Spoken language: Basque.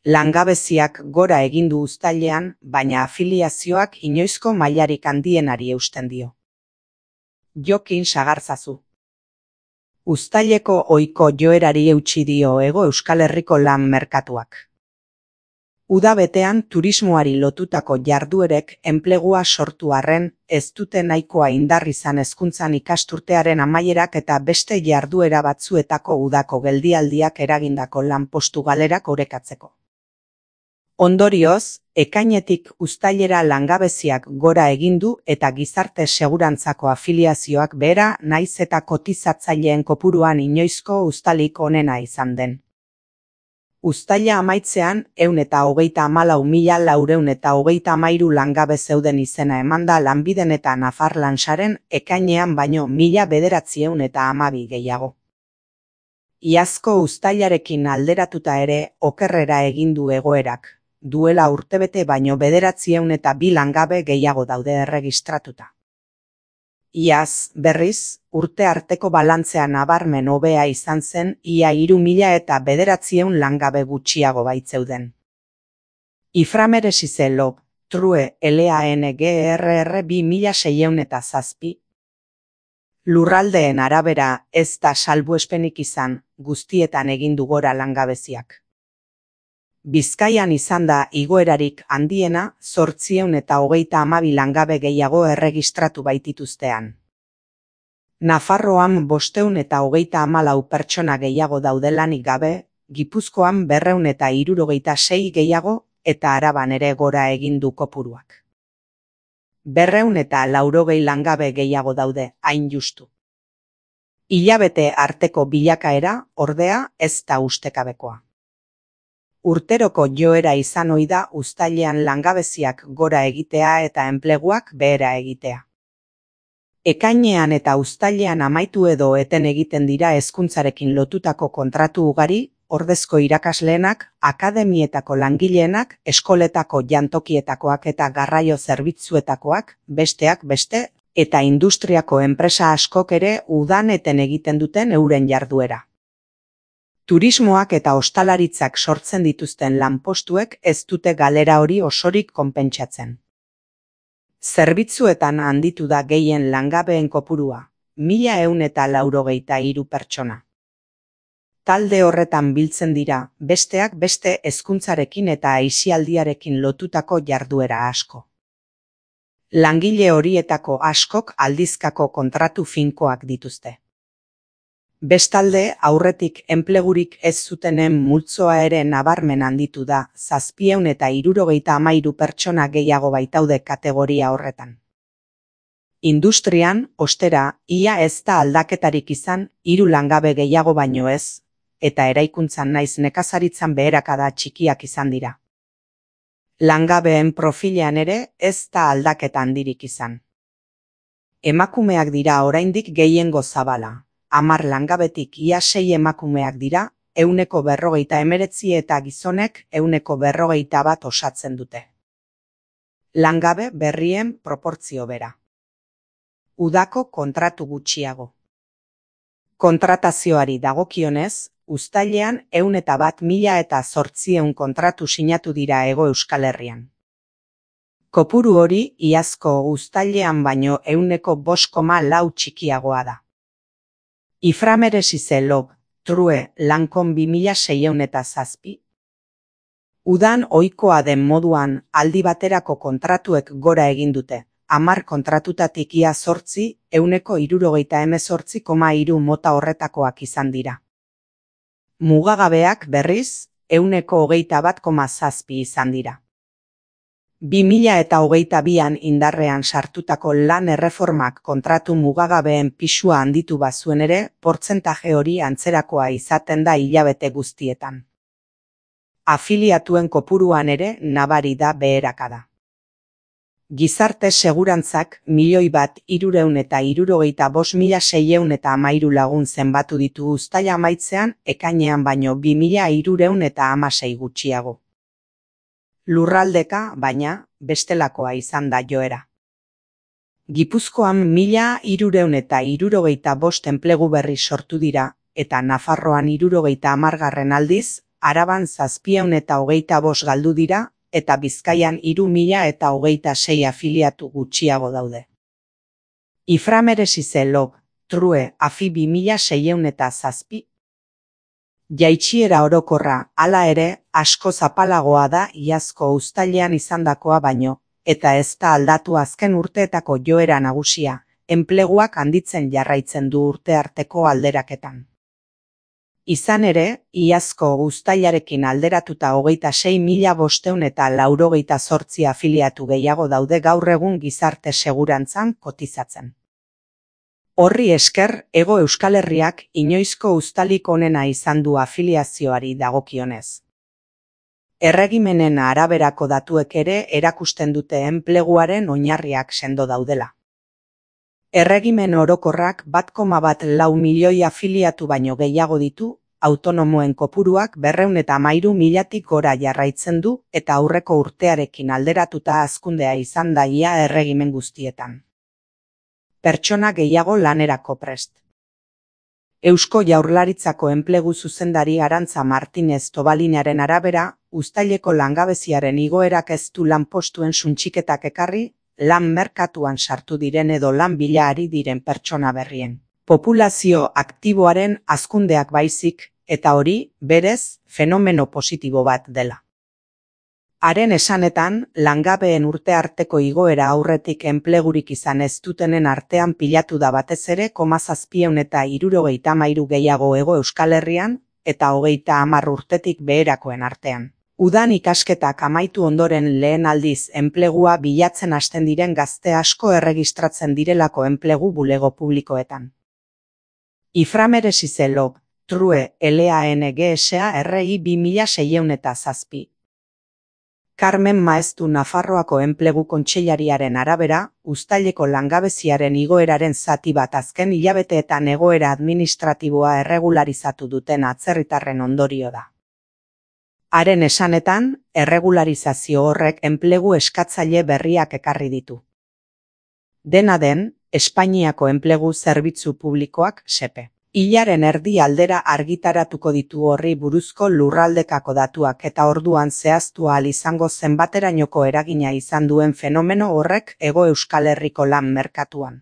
Langabeziak gora egin du uztailean, baina afiliazioak inoizko mailarik handienari eusten dio. Jokin sagartzazu. Uztaileko ohiko joerari eutsi dio Hego Euskal Herriko lan merkatuak. Uda betean turismoari lotutako jarduerek enplegua sortu arren, ez dute nahikoa indar izan hezkuntzan ikasturtearen amaierak eta beste jarduera batzuetako udako geldialdiak eragindako lanpostu galerak orekatzeko. Ondorioz, ekainetik uztailera langabeziak gora egin du eta gizarte segurantzako afiliazioak behera naiz eta kotizatzaileen kopuruan inoizko uztailik onena izan den. Uztaila amaitzean 134.433 langabe zeuden izena emanda Lanbiden eta Nafarlansaren ekainean baino 1.912 gehiago. Iazko uztailarekin alderatuta ere okerrera egin du egoerak. Duela urtebete baino 902 langabe gehiago daude erregistratuta. Iaz, berriz, urte arteko balantzea nabarmen hobea izan zen ia 3.900 langabe gutxiago baitzeuden. Iframeresize Lob, True, LANGRR 2607. Lurraldeen arabera ez da salbuespenik izan, guztietan egin du gora langabeziak. Bizkaian izan da igoerarik handiena 832 langabe gehiago erregistratu baitituztean. Nafarroan 534 pertsona gehiago daude lanik gabe, Gipuzkoan 276 gehiago eta Araban ere gora egin du kopuruak. 280 langabe gehiago daude, hain justu. Hilabete arteko bilakaera, ordea, ez da ustekabekoa. Urteroko joera izan ohi da uztailean langabeziak gora egitea eta enpleguak behera egitea. Ekainean eta uztailean amaitu edo eten egiten dira hezkuntzarekin lotutako kontratu ugari, ordezko irakasleenak, akademietako langileenak, eskoletako jantokietakoak eta garraio zerbitzuetakoak, besteak beste, eta industriako enpresa askok ere udan eten egiten duten euren jarduera. Turismoak eta ostalaritzak sortzen dituzten lanpostuek ez dute galera hori osorik konpentsatzen. Zerbitzuetan handitu da gehien langabeen kopurua, 1.183 pertsona. Talde horretan biltzen dira, besteak beste hezkuntzarekin eta aisialdiarekin lotutako jarduera asko. Langile horietako askok aldizkako kontratu finkoak dituzte. Bestalde, aurretik enplegurik ez zutenen multzoa ere nabarmen handitu da, 773 pertsona gehiago baitaude kategoria horretan. Industrian, ostera, ia ez da aldaketarik izan, 3 langabe gehiago baino ez, eta eraikuntzan naiz nekazaritzan beherakada txikiak izan dira. Langabeen profilean ere ez da aldaketa handirik izan. Emakumeak dira oraindik gehiengo zabala. 10 langabetik ia 6 emakumeak dira, 149 eta gizonek 141 osatzen dute. Langabe berrien proportzio bera. Udako kontratu gutxiago. Kontratazioari dagokionez, uztailean 101.800 kontratu sinatu dira Hego Euskal Herrian. Kopuru hori iazko uztailean baino 5,4 txikiagoa da. Iframeresize Lob, True, Lankon 2607. Udan ohikoa den moduan aldi baterako kontratuek gora egin dute. 10 kontratutatik ia 8, 178,3 mota horretakoak izan dira. Mugagabeak berriz, 121,7 izan dira. 2022an indarrean sartutako lan erreformak kontratu mugagabeen pisua handitu bazuen ere, portzentaje hori antzerakoa izaten da hilabete guztietan. Afiliatuen kopuruan ere nabari da beherakada. Gizarte segurantzak 1.365.613 lagun zenbatu ditu uztaila amaitzean, ekainean baino 2.316 gutxiago. Lurraldeka, baina, bestelakoa izan da joera. Gipuzkoan 1.365 enplegu berri sortu dira, eta Nafarroan 70 aldiz, Araban 725 galdu dira, eta Bizkaian 3026 afiliatu gutxiago daude. Iframeresize log, true, afi 2607. Jaitsiera orokorra, hala ere, asko zapalagoa da iazko uztailean izandakoa baino, eta ez da aldatu azken urteetako joera nagusia, enpleguak handitzen jarraitzen du urte arteko alderaketan. Izan ere, iazko uztailarekin alderatuta 26.598 afiliatu gehiago daude gaur egun gizarte segurantzan kotizatzen. Horri esker, Hego Euskal Herriak inoizko uztalik onena izan du afiliazioari dagokionez. Erregimenen araberako datuek ere erakusten dute enpleguaren oinarriak sendo daudela. Erregimen orokorrak 1,4 milioi afiliatu baino gehiago ditu, autonomoen kopuruak 213.000tik gora jarraitzen du eta aurreko urtearekin alderatuta hazkundea izan da ia erregimen guztietan. Pertsona gehiago lanerako prest. Eusko Jaurlaritzako enplegu zuzendari Arantza Martinez Tobalinaren arabera, uztaileko langabeziaren igoerak ez du lanpostuen suntsiketak ekarri, lan merkatuan sartu diren edo lan bila ari diren pertsona berrien. Populazio aktiboaren hazkundeak baizik, eta hori, berez, fenomeno positibo bat dela. Haren esanetan, langabeen urte arteko igoera aurretik enplegurik izan ez dutenen artean pilatu da batez ere 773 gehiago Hego Euskal Herrian, eta 30 urtetik beherakoen artean. Udan ikasketak amaitu ondoren lehen aldiz enplegua bilatzen hasten diren gazte asko erregistratzen direlako enplegu bulego publikoetan. Iframeresize log, true, LANGSA RI 2607. Carmen Maeztu Nafarroako enplegu kontseilariaren arabera, uztaileko langabeziaren igoeraren zati bat azken hilabeteetan egoera administratiboa erregularizatu duten atzerritarren ondorio da. Haren esanetan, erregularizazio horrek enplegu eskatzaile berriak ekarri ditu. Dena den, Espainiako enplegu zerbitzu publikoak SEPE. Hilaren erdi aldera argitaratuko ditu horri buruzko lurraldekako datuak eta orduan zehaztu ahal izango zenbaterainoko eragina izan duen fenomeno horrek Hego Euskal Herriko lan merkatuan.